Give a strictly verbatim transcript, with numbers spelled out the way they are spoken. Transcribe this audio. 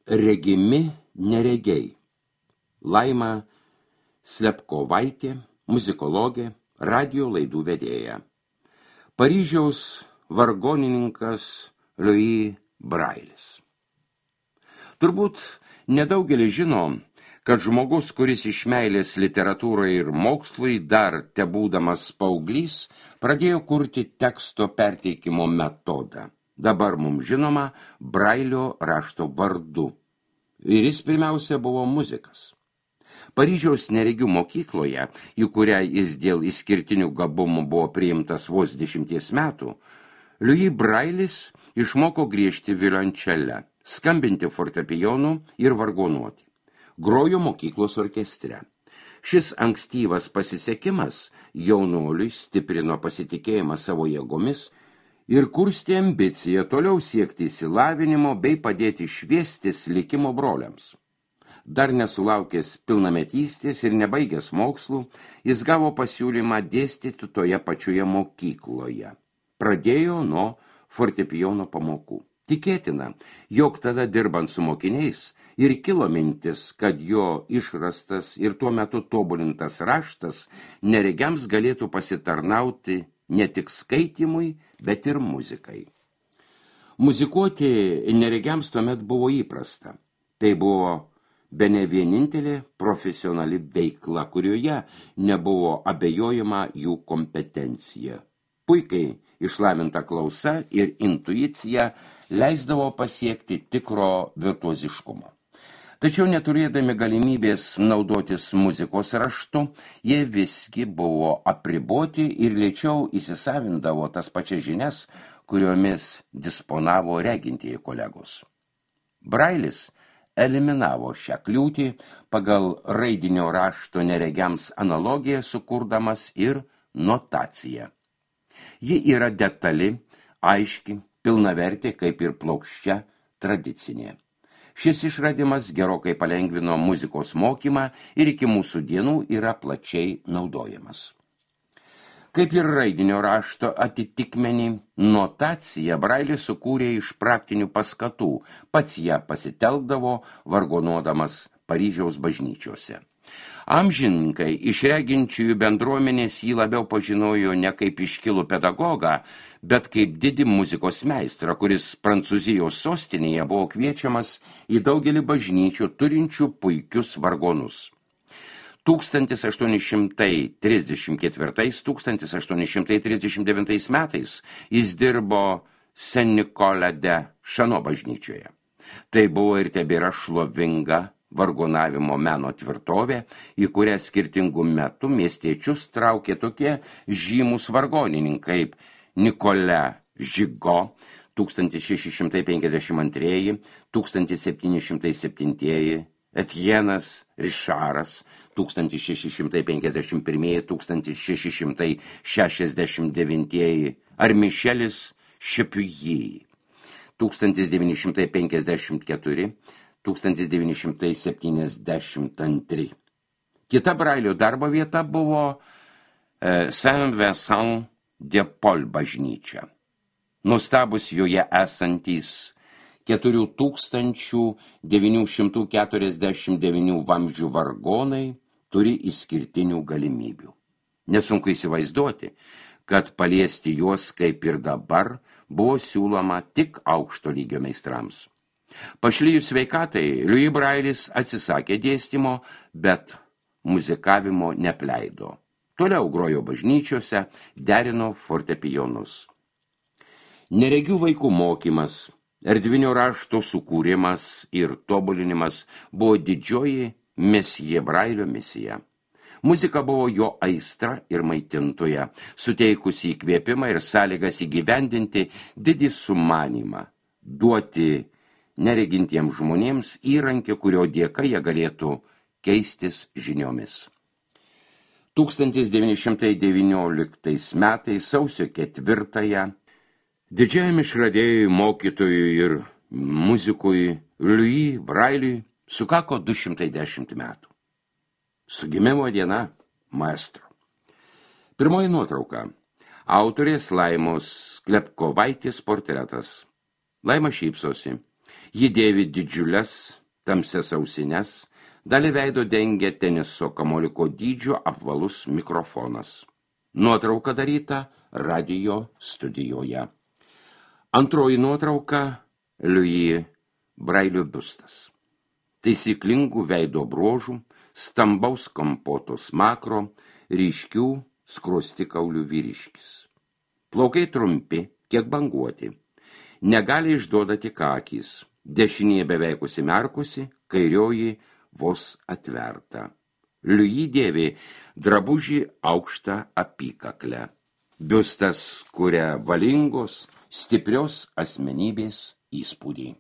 Regimi neregiai. Laima Slepkovaitė, muzikologė, radio laidų vedėja. Paryžiaus vargonininkas Louis Brailis. Turbūt nedaugelis žino, kad žmogus, kuris iš meilės literatūrai ir mokslui dar tebūdamas paauglys, pradėjo kurti teksto perteikimo metodą. Dabar mums žinoma Brailio rašto vardu. Ir jis pirmiausia buvo muzikas. Paryžiaus neregių mokykloje, į kurią jis dėl išskirtinių gabumų buvo priimtas vos dešimties metų, Louis Brailis išmoko griežti violončele, skambinti fortepijonu ir vargonuoti. Grojo mokyklos orkestre. Šis ankstyvas pasisekimas jaunuoliui stiprino pasitikėjimą savo jėgomis ir kurstė ambiciją toliau siekti išsilavinimo bei padėti šviestis likimo broliams. Dar nesulaukęs pilnametystės ir nebaigęs mokslų, jis gavo pasiūlymą dėstyti toje pačioje mokykloje. Pradėjo nuo fortepijono pamokų. Tikėtina, jog tada dirbant su mokiniais ir kilo mintis, kad jo išrastas ir tuo metu tobulintas raštas neregiams galėtų pasitarnauti ne tik skaitymui, bet ir muzikai. Muzikuoti neregiams tuomet buvo įprasta. Tai buvo bene vienintelė profesionali veikla, kurioje nebuvo abejojama jų kompetencija. Puikiai išlavinta klausa ir intuicija leisdavo pasiekti tikro virtuoziškumo. Tačiau neturėdami galimybės naudotis muzikos raštu, jie visgi buvo apriboti ir lėčiau įsisavindavo tas pačias žinias, kuriomis disponavo regintieji kolegos. Brailis eliminavo šią kliūtį pagal raidinio rašto neregiams analogiją sukurdamas ir notaciją. Ji yra detali, aiški, pilnavertė kaip ir plokščia tradicinė. Šis išradimas gerokai palengvino muzikos mokymą ir iki mūsų dienų yra plačiai naudojamas. Kaip ir raidinio rašto atitikmenį, notaciją Brailis sukūrė iš praktinių paskatų, pats ją pasitelkdavo vargonuodamas Paryžiaus bažnyčiose. Amžininkai iš reginčiųjų bendruomenės jį labiau pažinojo ne kaip iškilų pedagogą, bet kaip didį muzikos meistrą, kuris Prancūzijos sostinėje buvo kviečiamas į daugelį bažnyčių turinčių puikius vargonus. tūkstantis aštuoni šimtai trisdešimt ketvirtais - tūkstantis aštuoni šimtai trisdešimt devintais metais jis dirbo Saint-Nicolas de Chano bažnyčioje. Tai buvo ir tebėra šlovinga vargonavimo meno tvirtovė, į kurią skirtingų metų miestiečius traukė tokie žymus vargonininkai kaip Nicolas Gigot tūkstantis šeši šimtai penkiasdešimt antras - tūkstantis septyni šimtai septintas, Etienas Rišaras tūkstantis šeši šimtai penkiasdešimt pirmas - tūkstantis šeši šimtai šešiasdešimt devintas ar Mišelis Šepiujį tūkstantis devyni šimtai penkiasdešimt keturi - tūkstantis devyni šimtai septyniasdešimt antras. Kita Brailio darbo vieta buvo e, Saint-Vincent de Paul bažnyčia. Nustabus joje esantys keturi tūkstančiai devyni šimtai keturiasdešimt devyni vamzdžių vargonai turi išskirtinių galimybių. Nesunku įsivaizduoti, kad paliesti juos kaip ir dabar buvo siūloma tik aukšto lygio meistrams. Pašlijus sveikatai, Louis Brailis atsisakė dėstymo, bet muzikavimo nepleido. Toliau grojo bažnyčiose, derino fortepijonus. Neregių vaikų mokymas, erdvinio rašto sukūrimas ir tobulinimas buvo didžioji mesije Brailio misija. Muzika buvo jo aistra ir maitintoja, suteikusi įkvėpimą ir sąlygas įgyvendinti didį sumanymą, duoti neregintiems žmonėms įrankį, kurio dėka jie galėtų keistis žiniomis. tūkstantis devyni šimtai devynioliktais metais sausio ketvirtąją didžiajam išradėjui, mokytojui ir muzikui Louis Brailiui sukako du šimtai dešimt metų. Su gimimo diena maestro. Pirmoji nuotrauka. Autorės Laimos Slepkovaitės portretas. Laima šypsosi. Ji dėvi didžiules, tamsias ausines, dalį veido dengia teniso kamuoliko dydžio apvalus mikrofonas. Nuotrauka daryta radijo studijoje. Antroji nuotrauka – Louis Brailio biustas. Taisyklingų veido bruožų, stambaus kampoto smakro, ryškių skruostikaulių vyriškis. Plaukai trumpi, kiek banguoti. Negali išduoda tik akys. Dešinėje beveik užsimerkusi, kairioji vos atverta. Louis dėvi drabužį aukštą apykaklę. Biustas kuria valingos, stiprios asmenybės įspūdį.